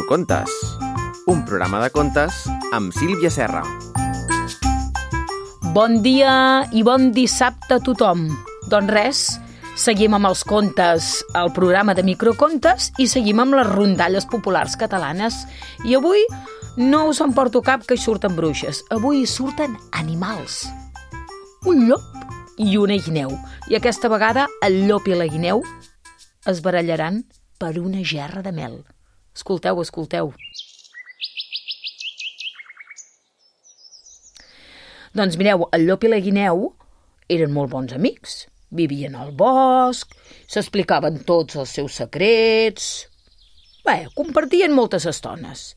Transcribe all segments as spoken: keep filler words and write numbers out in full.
Microcontes, un programa de contes amb Sílvia Serra. Bon dia i bon dissabte a tothom. Doncs res, seguim amb els contes al programa de Microcontes i seguim amb les rondalles populars catalanes. I avui no us en porto cap que hi surten bruixes. Avui hi surten animals. Un llop i una guineu. I aquesta vegada el llop i la guineu es barallaran per una gerra de mel. Escolteu, escolteu. Doncs mireu, el llop i la guineu eren molt bons amics. Vivien al bosc, s'explicaven tots els seus secrets. Bé, compartien moltes estones.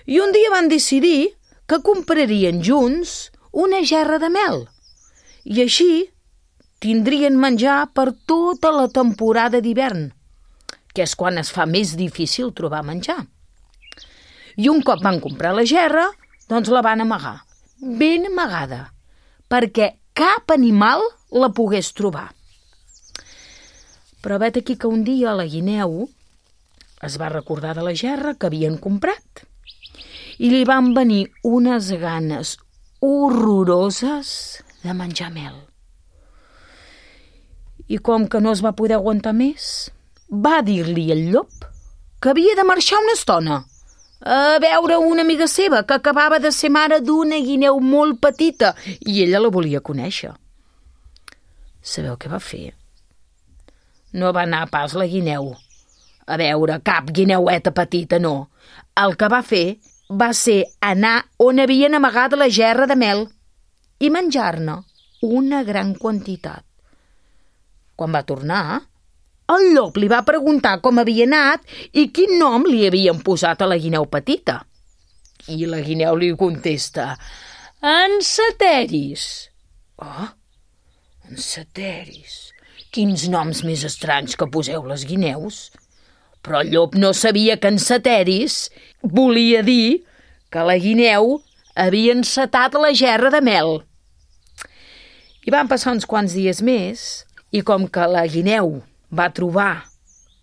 I un dia van decidir que comprarien junts una gerra de mel. I així tindrien menjar per tota la temporada d'hivern, que és quan es fa més difícil trobar menjar. I un cop van comprar la gerra, doncs la van amagar, ben amagada, perquè cap animal la pogués trobar. Però vet aquí que un dia la guineu es va recordar de la gerra que havien comprat i li van venir unes ganes horroroses de menjar mel. I com que no es va poder aguantar més, va dir-li al llop que havia de marxar una estona a veure una amiga seva que acabava de ser mare d'una guineu molt petita i ella la volia conèixer. Sabeu què va fer? No va anar pas la guineu a veure cap guineueta petita, no. El que va fer va ser anar on havien amagat la gerra de mel i menjar-ne una gran quantitat. Quan va tornar, el llop li va preguntar com havia anat i quin nom li havien posat a la guineu petita. I la guineu li contesta: Enceteris. Oh, enceteris. Quins noms més estranys que poseu les guineus. Però el llop no sabia que enceteris volia dir que la guineu havia encetat la gerra de mel. I van passar uns quants dies més i com que la guineu va trobar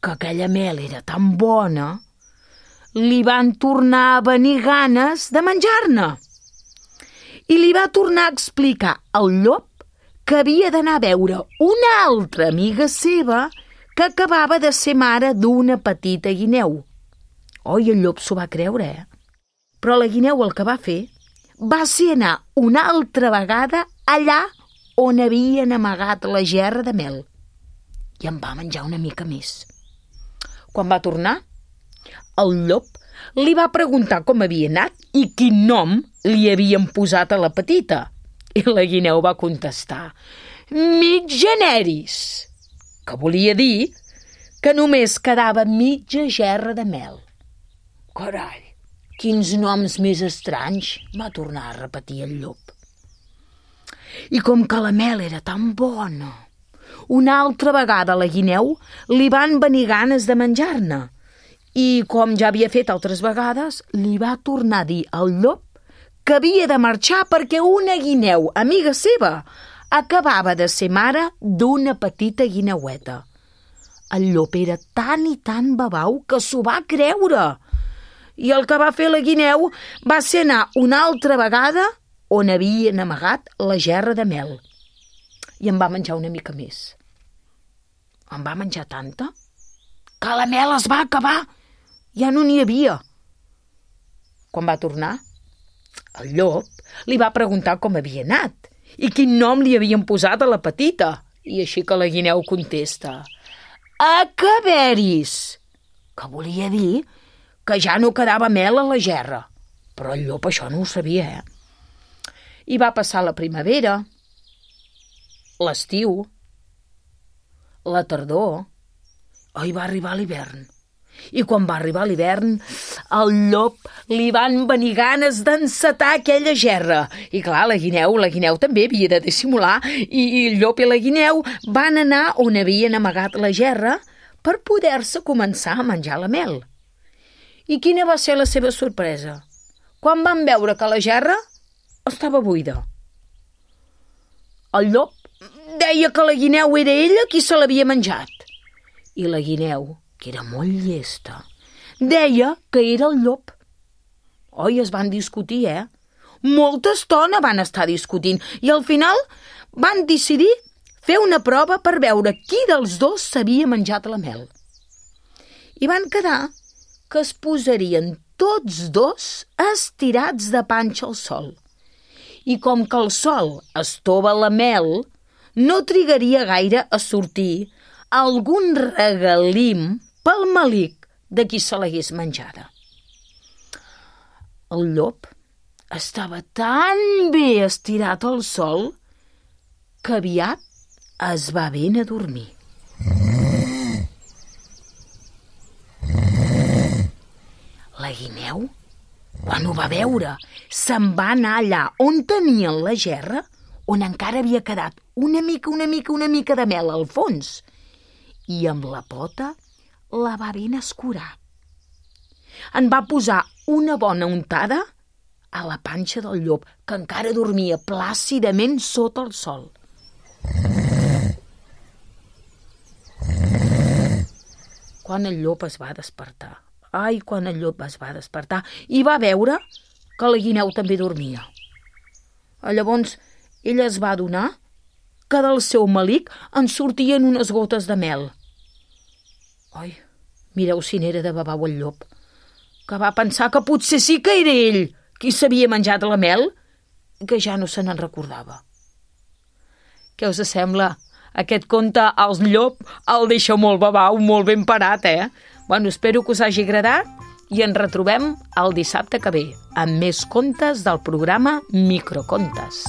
que aquella mel era tan bona, li van tornar a venir ganes de menjar-ne. I li va tornar a explicar al llop que havia d'anar a veure una altra amiga seva que acabava de ser mare d'una petita guineu. Oh, i el llop s'ho va creure, eh? Però la guineu el que va fer va ser anar una altra vegada allà on havien amagat la gerra de mel. I en va menjar una mica més. Quan va tornar, el llop li va preguntar com havia anat i quin nom li havien posat a la petita. I la guineu va contestar: Mitjaneris, que volia dir que només quedava mitja gerra de mel. Carai, quins noms més estranys, va tornar a repetir el llop. I com que la mel era tan bona, una altra vegada a la guineu li van venir ganes de menjar-ne i, com ja havia fet altres vegades, li va tornar a dir al llop que havia de marxar perquè una guineu, amiga seva, acabava de ser mare d'una petita guineueta. El llop era tan i tan babau que s'ho va creure. I el que va fer la guineu va ser anar una altra vegada on havien amagat la gerra de mel. I en va menjar una mica més. En va menjar tanta que la mel es va acabar. Ja no n'hi havia. Quan va tornar, el llop li va preguntar com havia anat i quin nom li havien posat a la petita. I així que la guineu contesta: Acaberis, que volia dir que ja no quedava mel a la gerra. Però el llop això no ho sabia, eh? I va passar la primavera, l'estiu, la tardor, oh, i va arribar l'hivern. I quan va arribar l'hivern, al llop li van venir ganes d'encetar aquella gerra. I clar, la guineu, la guineu també havia de dissimular, i, i el llop i la guineu van anar on havien amagat la gerra per poder-se començar a menjar la mel. I quina va ser la seva sorpresa? Quan van veure que la gerra estava buida. El llop deia que la guineu era ella qui se l'havia menjat. I la guineu, que era molt llesta, deia que era el llop. Oi, es van discutir, eh? Molta estona van estar discutint i al final van decidir fer una prova per veure qui dels dos s'havia menjat la mel. I van quedar que es posarien tots dos estirats de panxa al sol. I com que el sol estova la mel, no trigaria gaire a sortir algun regalim pel melic de qui se l'hagués menjada. El llop estava tan bé estirat al sol que aviat es va ben a dormir. La guineu, quan ho va veure, se'n va anar allà on tenien la gerra, on encara havia quedat una mica, una mica, una mica de mel al fons, i amb la pota la va ben escurar. En va posar una bona untada a la panxa del llop, que encara dormia plàcidament sota el sol. Quan el llop es va despertar, ai, quan el llop es va despertar, i va veure que la guineu també dormia. Llavors, ella es va adonar que del seu melic en sortien unes gotes de mel. Ai, mireu si n'era de babau el llop, que va pensar que potser sí que era ell qui s'havia menjat la mel i que ja no se n'en recordava. Què us sembla? Aquest conte al llop el deixa molt babau, molt ben parat, eh? Bueno, espero que us hagi agradat i ens retrobem el dissabte que ve amb més contes del programa Microcontes.